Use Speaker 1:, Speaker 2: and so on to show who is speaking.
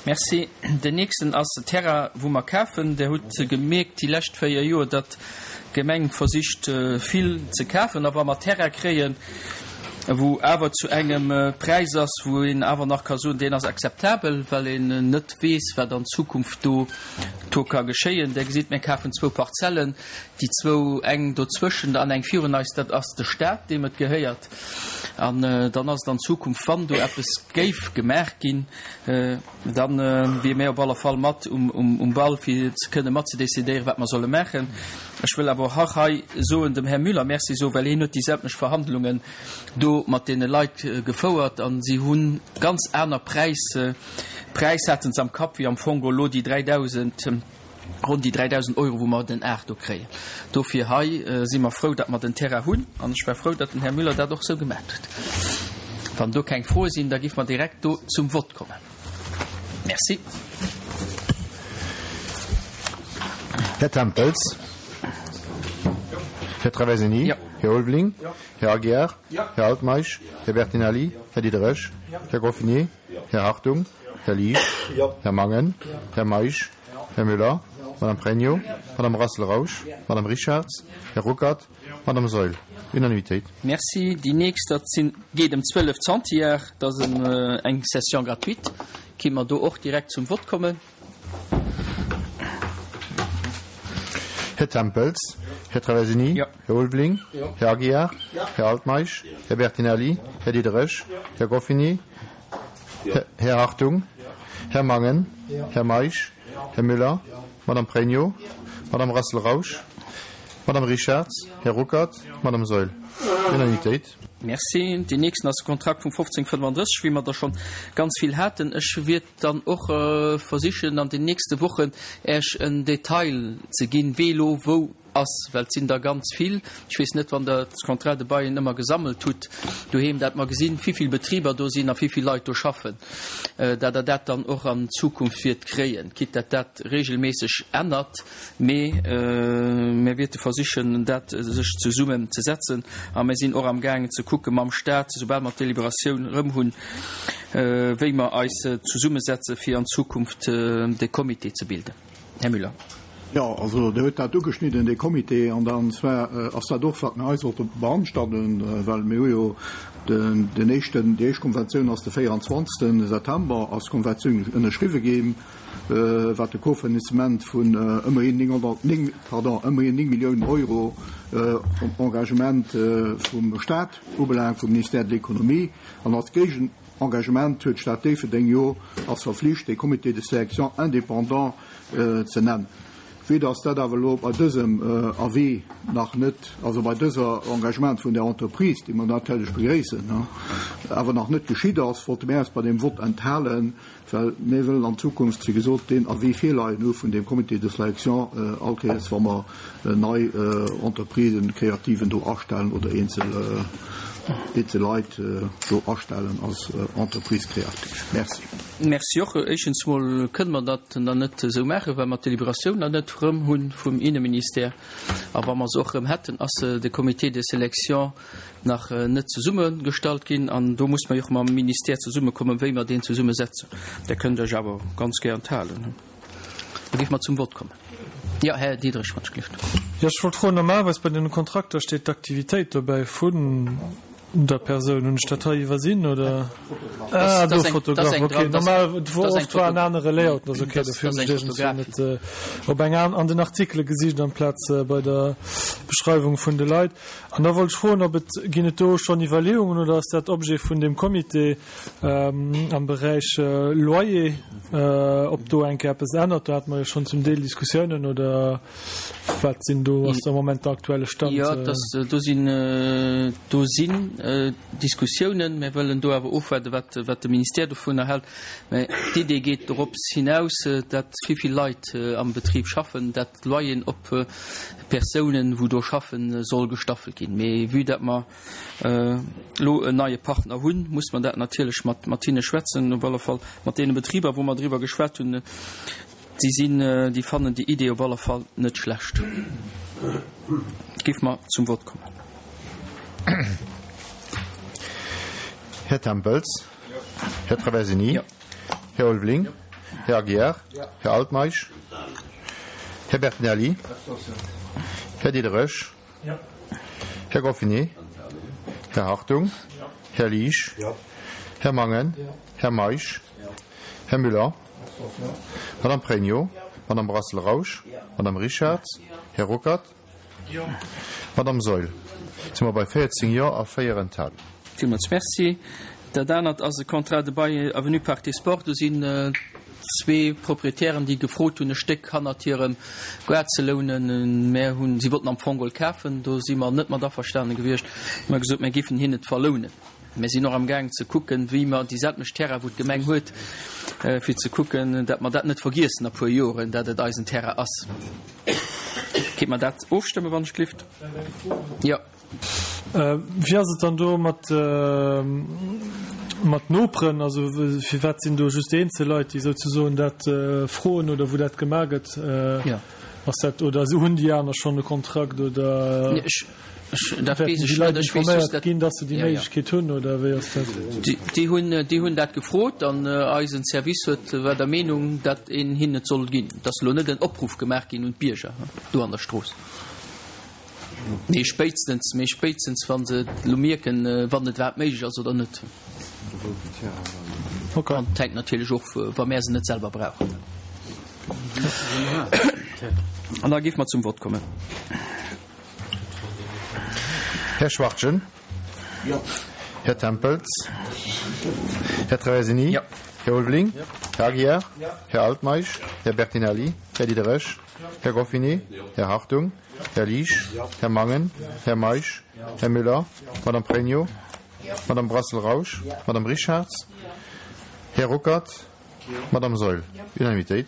Speaker 1: Merci. Den nächsten ass de Terrain, wou mer kafen. Der hutt gemierkt déi lescht 4 Joer, datt d'Gemeng versicht vill ze kafen. A wa mer Terrain kréien, wou awer zu engem Präis ass, wou een awer nach ka soen, deen ass akzeptabel, well een net weess, wat an Zukunft do do ka geschéien. Der gesitt, mir kafen zwou Parzellen, déi zwou, eng dozwëschent an eng virun eis, dat ass de Stat, deem et gehéiert. An dann ass et an Zukunft, wann do eppes géif gemaach ginn, da wier mir op alle Fall mat um Ball, fir ze kënne mat ze decidéieren, wat mer solle maachen. Ech wëll awer och hei soen, dem Här Müller Merci soen, well hien huet déi sämtlech Verhandlungen do mat deene Leit gefouert a si hu ganz aner Präis, Präis hate se am Kapp wéi am Fong elo déi 3.000, ronn déi 3.000 Euro, wou mer den Ar do kréien. Dofir hei si mer frou, datt mer den Terrain hunn an ech war frou, datt den Här Müller dat och esou gemaat huet. Wann do keng Froe sinn, da géife mer direkt do zum Vott kommen. Merci.
Speaker 2: Här Tempels? Här Traversini? Här Ulveling? Här Aguiar? Här Altmeisch? Här Bertinelli? Här Diderich? Här Groffiné? Här Hartung? Här Liesch? Här Mangen? Här Meisch? Här Müller? Madame Pregno? Madame Rassel-Rausch? Madame Richarz? Här Ruckert? Madame Saeul? Unanimitéit.
Speaker 1: Merci. Déi nächst, dat sinn, geet ëm 12 Zentiar. Dat ass eng Session gratuite. Kinne mer do och direkt zum Vott kommen?
Speaker 2: Här Tempels? Här Traversini? Här Ulveling? Här Aguiar? Här Altmeisch? Här Bertinelli? Här Diderich? Här Goffini? Här Hartung? Här Mangen? Här Meisch? Här Müller? Madame Pregno? Madame Rassel-Rausch? Madame Richarz? Här Ruckert? Madame Saeul? Unanimitéit.
Speaker 1: Merci. Deen nächsten ass de Kontrakt vum 1535, wéi mer der schonn ganz vill haten. Ech wiert dann och versichen, an den nächste Wochen Äech en Detail ze ginn, wee elo wou ass, well et sinn der ganz vill. Ech weess net, wann Der d'Contrats de bail ëmmer gesammelt hutt doheem, dat mer gesinn, wivill Betriber do sinn a wivill Leit do schaffen, dat Der dat dann och an Zukunft wiert kréien, quitte dat dat regelméisseg ännert. Mee mir wierte versichen, dat sech zesummen ze setzen a mir sinn och amgaangen ze kucke mam Stat, soubal mer d'Deliberatioun erëm hunn, wéi mer eis zesummesetze fir an Zukunft de Comité ze bilden. Här Müller.
Speaker 3: Jo, also Der huet dat ugeschnidden, dee Comité, an dann zwar ass dat och, wat mir hei sollte beanstanden, well mir hu jo den, den éischten, déi éischt Konventioun ass de 24. September ass d'Konventioun ënnerschriwwe ginn, wat de Kofinanzement vun ëmmerhin 909, pardon, ëmmerhin 9 Milliounen Euro Engagement vum Stat ubelaangt, vum Ministère de l'Économie, an als Géigen, Engagement huet d'Stad Déifferdeng jo ass verflicht, dee Comité de sélection indépendant ze nennen. Vue dass dat awer elo bei dësem Avis nach net, also bei dëser Engagement vun där Entreprise, déi mer natierlech begréissen, awer nach net geschitt ass, wollte mir eis bei deem Vott enthalen, Well mir wëllen an Zukunft, wéi gesot, deen Avis virleien hu vun deem Comité de sélection all Kéiers, wa mer nei Entreprisen, Kreativen do astellen oder eenzel, eenzel Leit do astellen als Entreprise créative. Merci.
Speaker 1: Merci och. Éischtens mol kënne mer dat nach net esou maachen, well mer d'Deliberatioun nach net erëm hu vum Inneministère. A wa mer se och erëm hätten, ass de Comité de sélection nach net zesummegestallt ginn an do muss mer jo och mam Ministère zesummekommen, wéi mer deen zesummesetzen. Där kënnt Iech awer ganz gär enthalen. Da géife mer zum Vott kommen. Jo, Här Diderich, wann ech gelift.
Speaker 4: Jo, ech wollt froen, normalerweis bei den Kontrakter steet d'Aktivitéit dobäi vun der Persoun. Hunn ech dat hei iwwersinn, oder? Ah, do, Fotograf, okay. Normal, oft war en anere Layout, ass okay, dofir hunn ech iergendwéi net op eng an den Artikele gesicht amplaz bei der Beschreiwung vun de Leit. An da wollt ech froen, ob et, ginn et do schonn Iwwerleeungen oder ass dat Objet vun deem Comité am Beräich Loyer, ob do eng Kéier eppes ännert? Do hate mer jo schonn zum Deel Diskussiounen oder wat sinn do, ass am Moment de aktuelle Stand?
Speaker 1: Jo, dass do sinn, do sinn Diskussiounen. Mir wëllen do awer ofwaarden, wat, wat de Ministère dovunner hält. Mä d'Idee geet dorops hinaus, dat vill Leit am Betrib schaffen, dat d'Loyeren op Persounen, wou do schaffen, soll gestaffelt ginn. Mee vue dat mer elo en neie Partner hunn, muss mer dat natierlech mat mat hinne schwätzen. Op alle Fall mat deene Betriber, wou mer driwwer geschwat hunn, déi sinn, déi fannen déi Idee op alle Fall net schlecht. Géife mer zum Vott kommen.
Speaker 2: Här Tempels? Här Traversini? Här Ulveling? Här Aguiar. Här Altmeisch. Här Bertinelli. Här Diderich. Här Goffinet. Här Hartung. Här Liesch. Här Mangen. Här Meisch. Här Müller. Madame Pregno. Madame Brassel-Rausch. Madame Richarz. Här Ruckert. Madame Saeul, si mer bei 14 Jo a 4 Enthalungen.
Speaker 1: Villmools Merci. Dat anert ass e Contrat de bail avenue Parc des Sports. Do sinn zwee Proprietären, déi gefrot hunn, e Stéck hannert hirem Gaart ze lounen. Mär hunn, si wollten am Fong geholl kafen, do si mer net mat averstane gewiescht. Hu mer gesot, mär géifen hinnen et verlounen. Mir sinn och amgaangen ze kucken, wéi mer déi selwecht Terrain, wou d'Gemeng huet, fir ze kucken, dat mer dat net vergiessen a puer Joren, dat et eisen Terrain ass. Kéint mer dat ofstëmmen, wann ech glift? Jo.
Speaker 4: Wéi ass et dann do mat, mat Noperen? Also firwat sinn do just eenzel Leit, déi souzesoen dat froen oder wou dat gemaach gëtt?
Speaker 1: Jo.
Speaker 4: Ass dat, oder hunn déi aner schonn e Kontrakt oder?
Speaker 1: Ech, dat weess ech net. Ech weess just, dat.
Speaker 4: Ginn, dass se déi Méiglechkeet hunn, oder wéi ass dat?
Speaker 1: Déi hunn, déi hunn dat gefrot an eisen Service huet, war der Meenung, dat een hinnen et soll ginn. Et ass elo net en Opruff gemaach ginn un d'Bierger do an der Strooss. Mee spéitstens, mee spéitstens wa se et elo mierken, wann et iwwerhaapt méiglech ass oder net. An et hänkt natierlech of, wa mär se net selwer brauchen. An da géife mer zum Vott kommen.
Speaker 2: Här Schwachtgen.
Speaker 3: Jo.
Speaker 2: Här Tempels. Här Traversini.
Speaker 1: Jo.
Speaker 2: Här Ulveling. Här Aguiar. Här Altmeisch. Här Bertinelli. Här Diderich. Här Goffinet. Här Hartung. Här Liesch. Här Mangen. Här Meisch. Här Müller. Madame Pregno. Madame Brassel-Rausch. Madame Richarz. Här Ruckert. Madame Saeul. Unanimitéit.